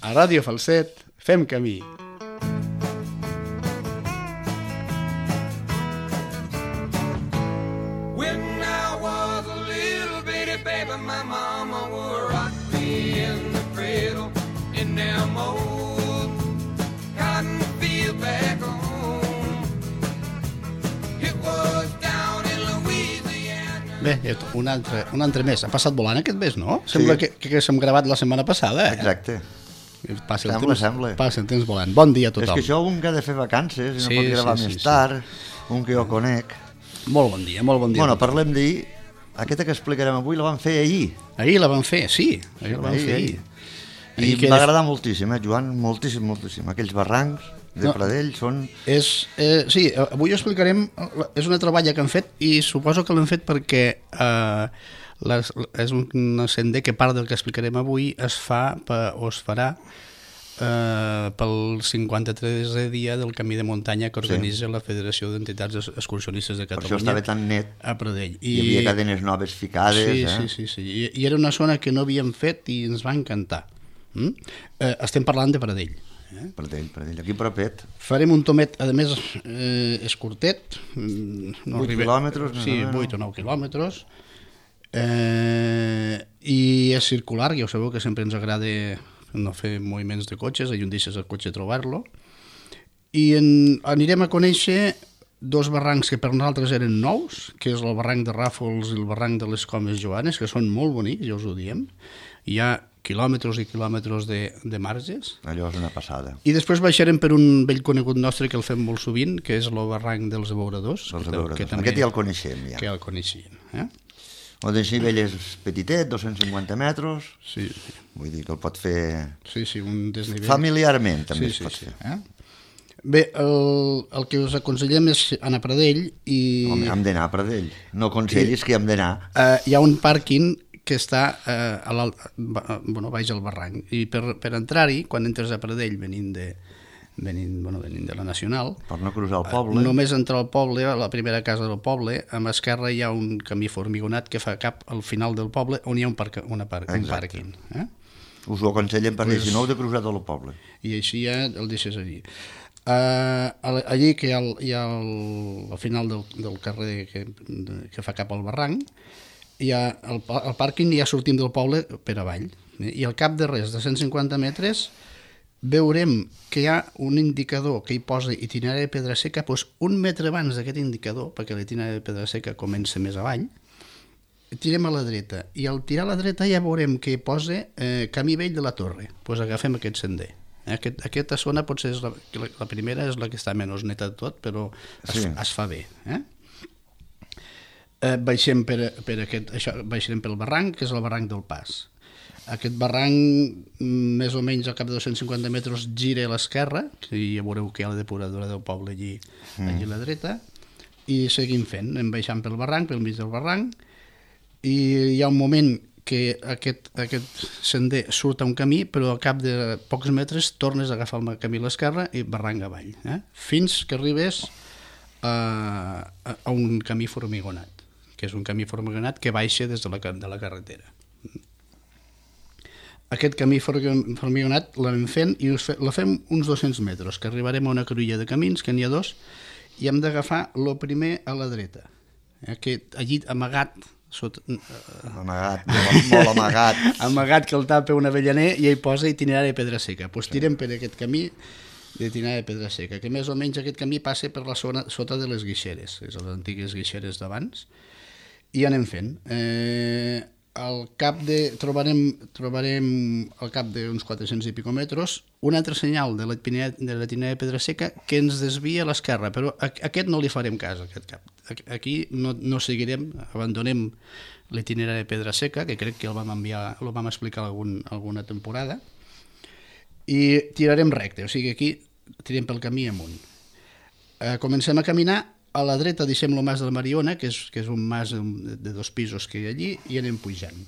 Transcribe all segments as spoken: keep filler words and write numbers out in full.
A Ràdio Falset fem camí. When I was a little bitty baby, my mama would rock me in the cradle in them old cotton field back home. It was down in Louisiana. Bé, un altre, un altre mes. Ha passat volant aquest mes, no? Sembla que, que s'hem gravat la setmana passada, eh? Exacte. Passa el Sembla, temps, sembla. Passa el temps volant. Bon dia a tothom. És que això un que ha de fer vacances i no Sí, pot gravar sí, sí, més sí. tard, un que jo conec. Molt bon dia, molt bon dia. Bueno, parlem d'ahir. Aquesta que explicarem avui la van fer ahir. Ahir la van fer, sí. Ahir la van Ahir, fer ahir. ahir. I Ahir em que va de- agradar moltíssim, eh, Joan? Moltíssim, moltíssim. Aquells barrancs de No. Pradell són... És, eh, sí, avui explicarem, és una troballa que han fet i suposo que l'han fet perquè eh, les, és un sender que part del que explicarem avui es fa per, o es farà eh, pel cinquanta-tresè dia del camí de muntanya que organitza sí. la Federació d'Entitats Excursionistes de Per Catalunya. això estava tan net. A Pradell. I... Hi havia cadenes noves ficades, sí, eh? Sí, sí, sí. I, I era una zona que no havíem fet i ens va encantar. Mm? Eh, estem parlant de Pradell. Eh? Pradell, Pradell, aquí propet. Farem un tomet, a més eh, és curtet, mm, no Vuit arriba- quilòmetres, més sí, o menys. vuit o nou quilòmetres, eh, i és circular, ja ho sabeu que sempre ens agrada no fer moviments de cotxes, allà on deixes el cotxe trobar-lo, i en, anirem a conèixer dos barrancs que per nosaltres eren nous, que és el barranc de Ràfols i el barranc de les Comes Joanes, que són molt bonics, ja us ho diem. Hi ha quilòmetres i quilòmetres de, de marges. Allò és una passada. I després baixarem per un vell conegut nostre que el fem molt sovint, que és el barranc dels abeuradors. Dels que, abeuradors. que també, Aquest ja el coneixem, ja. Que ja el coneixien. Eh? El d'Eixivell és petitet, dos-cents cinquanta metres. Sí, sí, Vull dir que el pot fer sí, sí, un desnivell. familiarment, també sí, es sí, pot sí, fer. eh? Bé, el, el que us aconsellem és anar a Pradell i Home, hem d'anar a Pradell. No aconsellis que hem d'anar. eh, hi ha un pàrquing que està eh, a l'alt- ba- bueno, baix al barranc, i per, per entrar-hi, quan entres a Pradell venint de, venint, bueno, venint de la Nacional, Per no cruzar el poble. només entrar al poble, a la primera casa del poble, a l'esquerra hi ha un camí formigonat que fa cap al final del poble on hi ha un, parc, una par un Exacte. pàrquing. Eh? Us ho aconsellem perquè Pues- si no heu de cruzar tot el poble. I així ja el deixes allí. Uh, allí que hi ha, el, hi ha el, al final del, del carrer que, de, que fa cap al barranc, hi ha el, pa- el pàrquing, ja sortim del poble per avall, eh? I al cap de res de cent cinquanta metres veurem que hi ha un indicador que hi posa itinerari de Pedra Seca, doncs un metre abans d'aquest indicador, perquè l'itinerari de Pedra Seca comença més avall, tirem a la dreta, i al tirar a la dreta ja veurem que hi posa eh, Camí Vell de la Torre, doncs agafem aquest sender. Aquest, aquesta zona potser és la, la, la primera és la que està menys neta de tot, però es, Sí. es fa bé. Eh? Eh, baixem, per, per aquest, això, baixarem pel barranc, que és el barranc del Pas. Aquest barranc, mm, més o menys al cap de dos-cents cinquanta metres, gira a l'esquerra, i ja veureu que hi ha la depuradora del poble allí, mm. allí a la dreta, i seguim fent, anem baixant pel barranc, pel mig del barranc, i hi ha un moment que aquest, aquest sender surt a un camí, però al cap de pocs metres tornes a agafar el camí a l'esquerra i barranc avall, eh? Fins que arribes a, a, a un camí formigonat, que és un camí formigonat que baixa des de la, de la carretera. Aquest camí formigonat l'hem fent i us fe, la fem uns dos-cents metres, que arribarem a una cruïlla de camins, que n'hi ha dos, i hem d'agafar el primer a la dreta, eh? Que allí amagat, sota, Amagat, molt, molt amagat. amagat que el tapa un avellaner i hi posa itinerari de Pedra Seca. Doncs tirem per aquest camí d'itinerari de Pedra Seca, que més o menys aquest camí passa per la zona sota de les guixeres, és les antigues guixeres d'abans, i anem fent. Eh, al cap de, trobarem, trobarem al cap d'uns quatre-cents i pico metres un altre senyal de l'itinerari de, de Pedra Seca que ens desvia a l'esquerra, però a, a aquest no li farem cas, aquest cap. Aquí no, no seguirem, abandonem l'itinerari de Pedra Seca, que crec que el vam enviar, el vam explicar algun, alguna temporada, i tirarem recte, o sigui aquí tirem pel camí amunt. Eh, comencem a caminar, a la dreta deixem el mas de la Mariona, que és, que és un mas de, de dos pisos que hi ha allí, i anem pujant.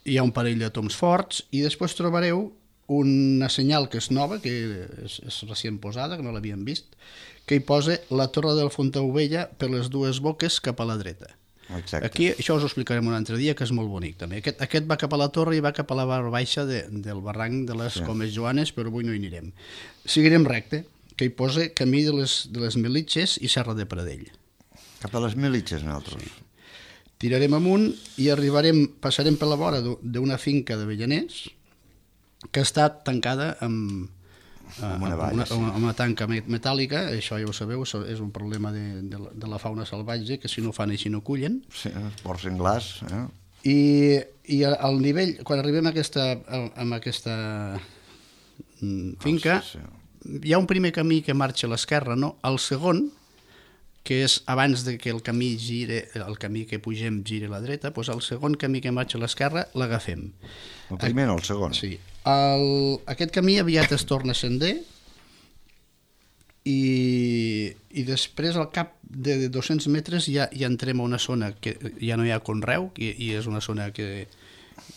Hi ha un parell de toms forts, i després trobareu una senyal que és nova, que és, és recient posada, que no l'havíem vist, que hi posa la Torre del Fontaubella per les dues boques cap a la dreta. Exacte. Aquí, això us ho explicarem un altre dia, que és molt bonic també. Aquest, aquest va cap a la torre i va cap a la part baixa de, del barranc de les Sí. Comes Joanes, però avui no hi anirem. Seguirem recte, que hi posa camí de les, de les Melitxes i Serra de Pradell. Cap a les Melitxes, nosaltres. Tirarem amunt i arribarem, passarem per la vora d'u- d'una finca d'avellaners que està tancada amb, eh, Amb una amb valla, una, sí. amb una tanca me- metàl·lica. Això ja ho sabeu, so- és un problema de, de, la, de la fauna salvatge, que si no fan així no cullen. Sí, els porcs senglars, eh? I, i al nivell, quan arribem a aquesta, a, a aquesta mm, finca, sí, sí. hi ha un primer camí que marxa a l'esquerra, no? El segon, que és abans de que el camí gire, el camí que pugem giri a la dreta, doncs el segon camí que marxa a l'esquerra l'agafem. El primer no, el segon. Sí. El, aquest camí aviat es torna a ascender i, i després al cap de dos-cents metres ja, ja entrem a una zona que ja no hi ha conreu i, i és una zona que,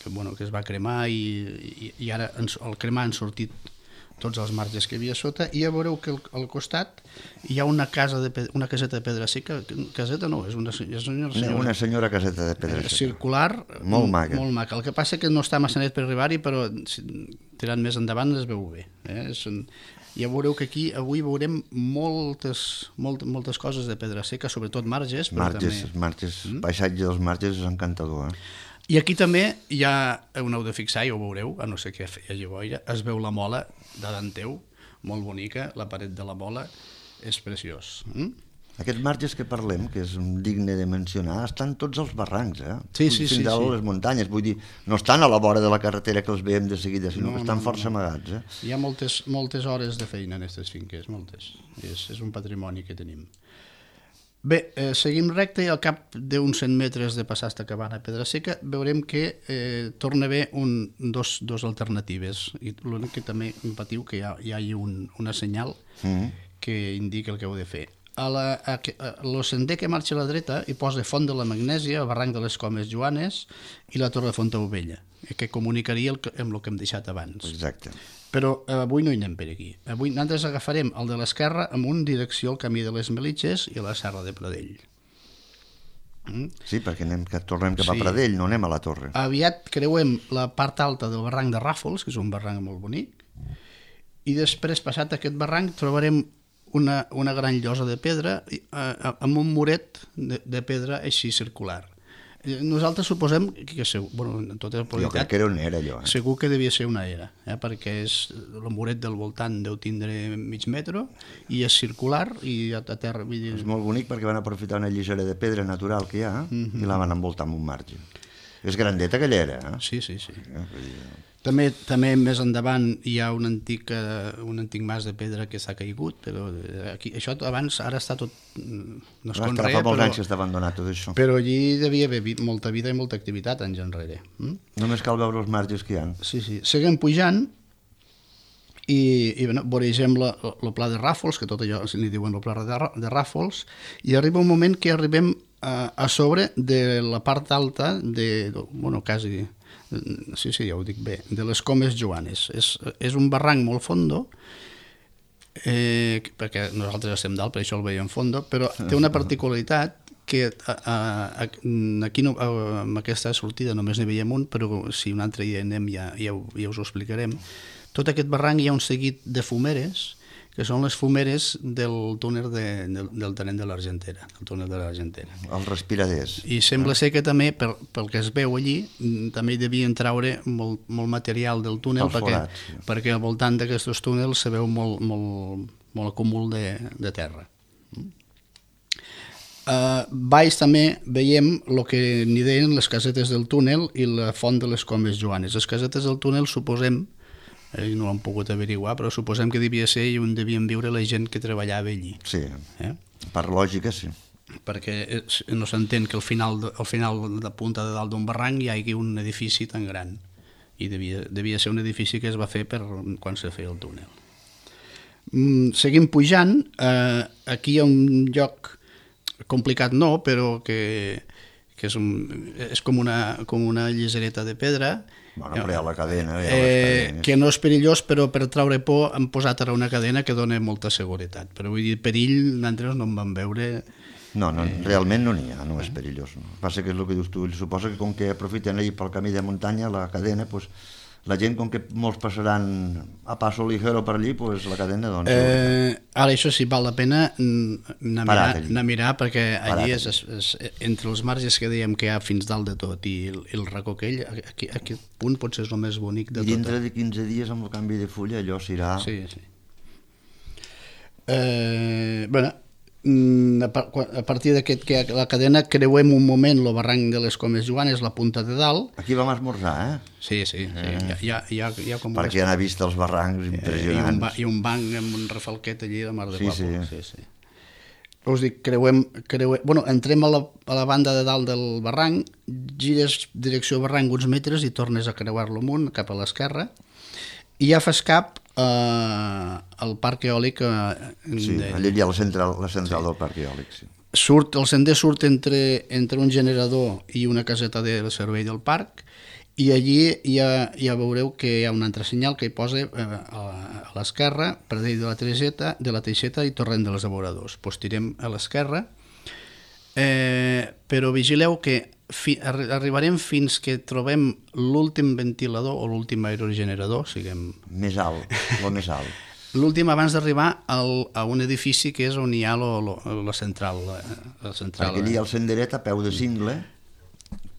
que, bueno, que es va cremar i, i, i ara ens, al cremar han sortit tots els marges que hi havia sota, i ja veureu que al, al costat hi ha una casa de pedra, una caseta de pedra seca, caseta no, és una, és una senyora, Una senyora caseta de pedra eh, seca. circular, Molt maca. molt maca. El que passa que no està massa net per arribar-hi, però si, tirant més endavant es veu bé. Eh? És un, ja veureu que aquí avui veurem moltes, molt, moltes coses de pedra seca, sobretot marges, però Marges, també... marges, mm? paisatge dels marges és encantador, eh? I aquí també hi ha, on heu de fixar, i ho veureu, a no ser que hi hagi boira, es veu la mola davant teu, molt bonica, la paret de la mola és preciós. Mm? Aquests marges que parlem, que és digne de mencionar, estan tots als barrancs, eh? Sí, sí, Fins sí, a sí. les muntanyes, vull dir, no estan a la vora de la carretera que els veiem de seguida, sinó No, que estan no, força no. amagats, eh? Hi ha moltes, moltes hores de feina en aquestes finques, moltes. És, és un patrimoni que tenim. Bé, eh, seguim recte i al cap d'uns cent metres de passar esta cabana a Pedra Seca veurem que eh, torna a haver un, dos, dos alternatives, i l'únic que també em patiu que hi ha, hi hagi un, una senyal Mm. que indica el que heu de fer. A la, a, a, lo sender que marxa a la dreta hi posa Font de la Magnèsia, el barranc de les Comes Joanes i la Torre de Fontaubella, que comunicaria el que, amb el que hem deixat abans. Exacte. Però eh, avui no hi anem per aquí. Avui nosaltres agafarem el de l'esquerra amb una direcció al camí de les Melitxes i a la Serra de Pradell. Mm? Sí, perquè anem, que tornem cap a Sí. Pradell, no anem a la torre. Aviat creuem la part alta del barranc de Ràfols, que és un barranc molt bonic, i després, passat aquest barranc, trobarem una, una gran llosa de pedra eh, amb un muret de, de pedra així circular. Eh, Nosaltres suposem que, que bueno, en tota Jo crec probabilitat, que era una era, allò. Eh? segur que devia ser una era, eh? perquè és, el muret del voltant deu tindre mig metre i és circular i a, a terra... Vull dir, És molt bonic perquè van aprofitar una lligera de pedra natural que hi ha Mhm. i la van envoltar amb un marge. És grandeta aquella era, eh? sí, sí, sí. Eh, vull dir, També, també més endavant hi ha un antic, eh, un antic mas de pedra que s'ha caigut, però aquí, això abans, ara està tot... mm, No es Clar, conrea, fa molts però, anys que està abandonat tot això. però allí devia haver vi- molta vida i molta activitat anys enrere. Mm? Només cal veure els marges que hi ha. Sí, sí. Seguim pujant i, i bueno, voregem el pla de Ràfols, que tot allò li diuen el pla de, Rà- de Ràfols, i arriba un moment que arribem a, a sobre de la part alta de, bueno, quasi, sí, sí, ja ho dic bé, de les Comes Joanes. És, és un barranc molt fondo, eh, perquè nosaltres estem dalt, per això el veiem fondo, però té una particularitat que a, a, a, aquí no, a, amb aquesta sortida només n'hi veiem un, però si un altre dia anem ja, ja, ho, ja us ho explicarem. Tot aquest barranc hi ha un seguit de fumeres, que són les fumeres del túnel de, del, del Tenent de l'Argentera, el túnel de l'Argentera. Els respiraders. I sembla ser que també, per, pel que es veu allí, mm, també hi devien traure molt, molt material del túnel, Els perquè, forats, sí. perquè al voltant d'aquests túnels se veu molt, molt, molt acúmul de, de terra. Uh, baix també veiem el que n'hi deien les casetes del túnel i la font de les Comes Joanes. Les casetes del túnel suposem, eh, no ho hem pogut averiguar, però suposem que devia ser on devien viure la gent que treballava allí. Sí, Eh? per lògica, sí. Perquè és- no s'entén que al final, de, al final de punta de dalt d'un barranc hi hagi un edifici tan gran, i devia, devia ser un edifici que es va fer per quan se feia el túnel. Mm, seguim pujant, eh, aquí hi ha un lloc complicat no, però que, que és, un, és com, una, com una llisereta de pedra. Bueno, però hi ha la cadena. Hi ha les Eh, cadenes. que no és perillós, però per traure por han posat ara una cadena que dona molta seguretat. Però vull dir, perill, nosaltres no en vam veure No, no, realment no n'hi ha, no és perillós. No. Passa que és el que dius tu, suposa que com que aprofiten allà pel camí de muntanya, la cadena, pues, la gent, com que molts passaran a passo ligero per allí, pues, la cadena, doncs... Eh, ara, això sí, val la pena anar a mirar, anar a mirar perquè allí és, és, és, entre els marges que dèiem que hi ha fins dalt de tot i el, el racó aquell, aquí, aquest punt potser és el més bonic de tot. I dintre de quinze dies, amb el canvi de fulla, allò s'irà... Sí, sí. Eh, bueno, a partir d'aquest que la cadena creuem un moment el barranc de les Comes Joanes, la punta de dalt. Aquí vam esmorzar, eh? Sí, sí, sí. Eh. Hi ha, hi ha, hi ha com perquè han vist els barrancs impressionants. I un, ba i un banc amb un refalquet allí de mar de sí, guapo. Sí, sí, sí. Us dic, creuem, creuem... Bueno, entrem a la, a la banda de dalt del barranc, gires direcció barranc uns metres i tornes a creuar-lo amunt, cap a l'esquerra, i ja fas cap eh, al parc eòlic. Eh, sí, de... allà hi ha la central, la central sí. del parc eòlic, sí. Surt, el sender surt entre, entre un generador i una caseta de servei del parc, i allí ja, ja veureu que hi ha un altre senyal que hi posa eh, a, a l'esquerra, Pradell de la Teixeta, de la Teixeta i Torrent dels Abeuradors. Pues tirem a l'esquerra, eh, però vigileu que fi, arri arribarem fins que trobem l'últim ventilador o l'últim aerogenerador, siguem... Més alt, el més alt. L'últim abans d'arribar a un edifici que és on hi ha lo, lo, la central. La, la central perquè allí hi ha el senderet a peu de cingle,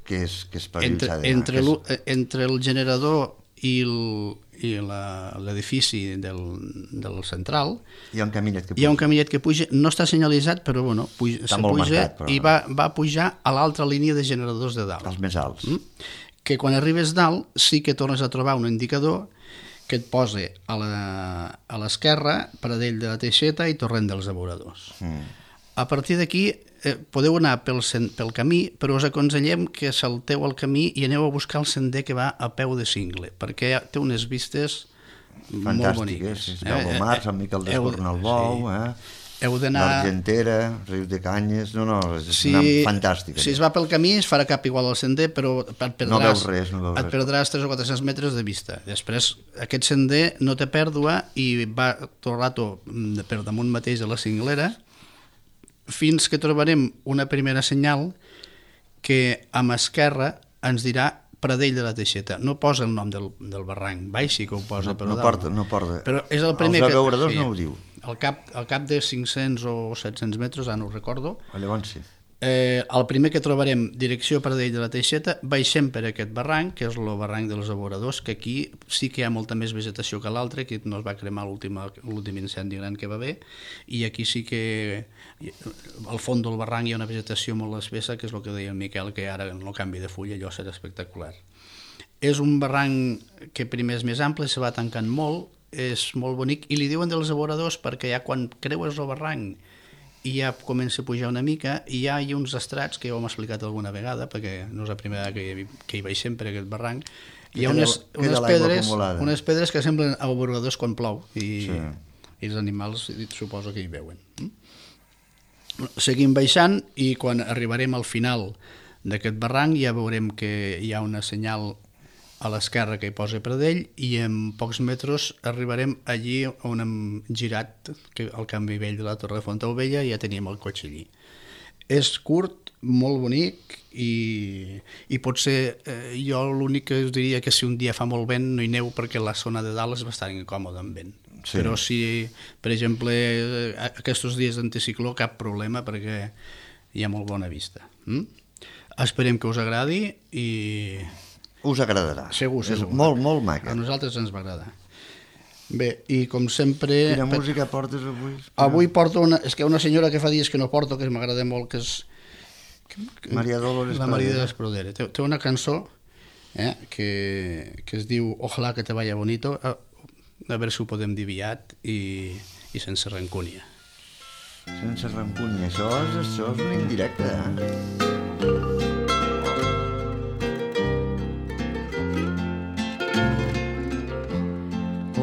que és, que és per entre, entre, és... entre el generador i l'edifici del, del central hi ha un caminet que puja, hi ha un caminet que puja, no està senyalitzat, però bueno, puja, està molt puja marcat, però... i va, va pujar a l'altra línia de generadors de dalt. Els més alts. Mm? Que quan arribes dalt sí que tornes a trobar un indicador que et posa a l'esquerra Pradell de la Teixeta i Torrent dels Abeuradors. Mm. A partir d'aquí eh, podeu anar pel, pel camí, però us aconsellem que salteu el camí i aneu a buscar el sender que va a peu de cingle, perquè té unes vistes molt boniques. Fantàstiques, veu el mar, Sant Miquel d'Escornalbou, sí. eh? Heu d'anar... l'Argentera, Rius de Canyes, no, no, és si, una fantàstica. Si es va pel camí es farà cap igual al sender, però et perdràs, no veus res, no veus et perdràs tres o quatre-cents metres de vista. Després aquest sender no té pèrdua i va tot el rato per damunt mateix de la cinglera fins que trobarem una primera senyal que a mà esquerra ens dirà Pradell de la Teixeta. No posa el nom del, del barranc, baix sí que ho posa, no, però no porta, no porta. Però és el primer els abeuradors que... no ho diu. Al cap, al cap de cinc-cents o set-cents metres, ara no ho recordo, llavors sí. Eh, el primer que trobarem, direcció Pradell de la Teixeta, baixem per aquest barranc, que és el barranc dels Abeuradors, que aquí sí que hi ha molta més vegetació que l'altre, que no es va cremar l'últim incendi gran que va haver, i aquí sí que al fons del barranc hi ha una vegetació molt espessa, que és el que deia el Miquel, que ara en el canvi de fulla allò serà espectacular. És un barranc que primer és més ample, se va tancant molt, és molt bonic, i li diuen dels Abeuradors perquè ja quan creues el barranc i ja comença a pujar una mica i ja hi ha uns estrats que ja ho hem explicat alguna vegada perquè no és la primera vegada que hi, que hi baixem per aquest barranc, hi ha unes, unes, pedres, unes pedres que semblen abeuradors quan plou i, sí. i els animals suposo que hi veuen. Seguim baixant i quan arribarem al final d'aquest barranc ja veurem que hi ha una senyal a l'esquerra que hi posa Pradell i en pocs metres arribarem allí on hem girat que al canvi vell de la Torre de Fontaubella i ja teníem el cotxe allí. És curt, molt bonic i, i potser eh, jo l'únic que us diria que si un dia fa molt vent no hi neu perquè la zona de dalt és bastant incòmoda amb vent. Sí. Però si, per exemple, aquests dies d'anticicló cap problema perquè hi ha molt bona vista. Mm? Esperem que us agradi i... Us agradarà. Segur, segur. És molt, molt maca. A nosaltres ens va agradar. Bé, i com sempre... Quina música portes avui? Avui porto una... És que una senyora que fa dies que no porto, que m'agrada molt, que és... Maria Dolores La Maria de l'Esprodera. Té, té una cançó eh, que, que es diu Ojalá que te vaya bonito, a, a veure si ho podem dir aviat i, i sense rancúnia. Sense rancúnia. Això és, això és una indirecta, eh?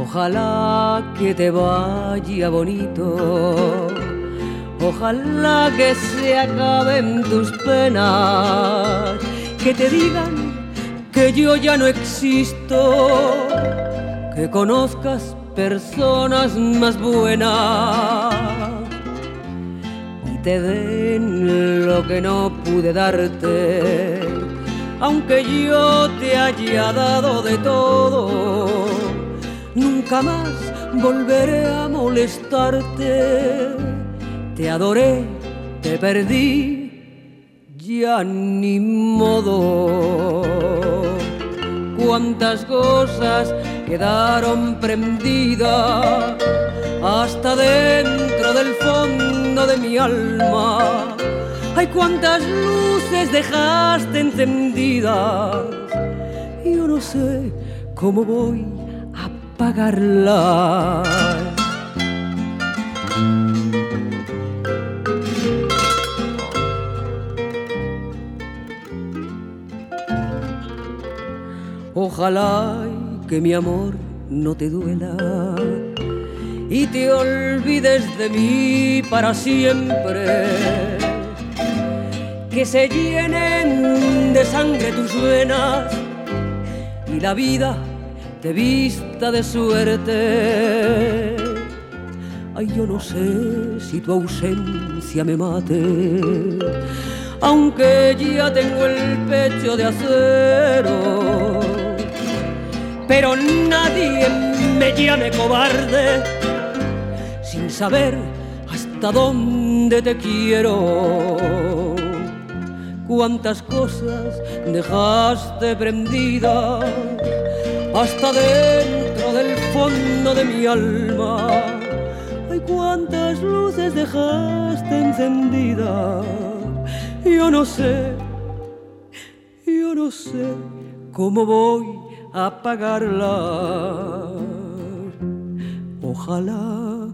Ojalá que te vaya bonito, ojalá que se acaben tus penas, que te digan que yo ya no existo, que conozcas personas más buenas y te den lo que no pude darte, aunque yo te haya dado de todo, nunca más volveré a molestarte. Te adoré, te perdí, ya ni modo. Cuántas cosas quedaron prendidas hasta dentro del fondo de mi alma. Ay, cuántas luces dejaste encendidas. Yo no sé cómo voy a apagarlas. Ojalá que mi amor no te duela y te olvides de mí para siempre, que se llenen de sangre tus venas y la vida te vista de suerte. Ay, yo no sé si tu ausencia me mate, aunque ya tengo el pecho de acero, pero nadie me llame cobarde sin saber hasta dónde te quiero. Cuántas cosas dejaste prendidas hasta dentro del fondo de mi alma. Ay, cuántas luces dejaste encendidas. Yo no sé, yo no sé cómo voy a apagarla. Ojalá,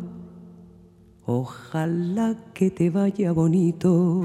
ojalá que te vaya bonito.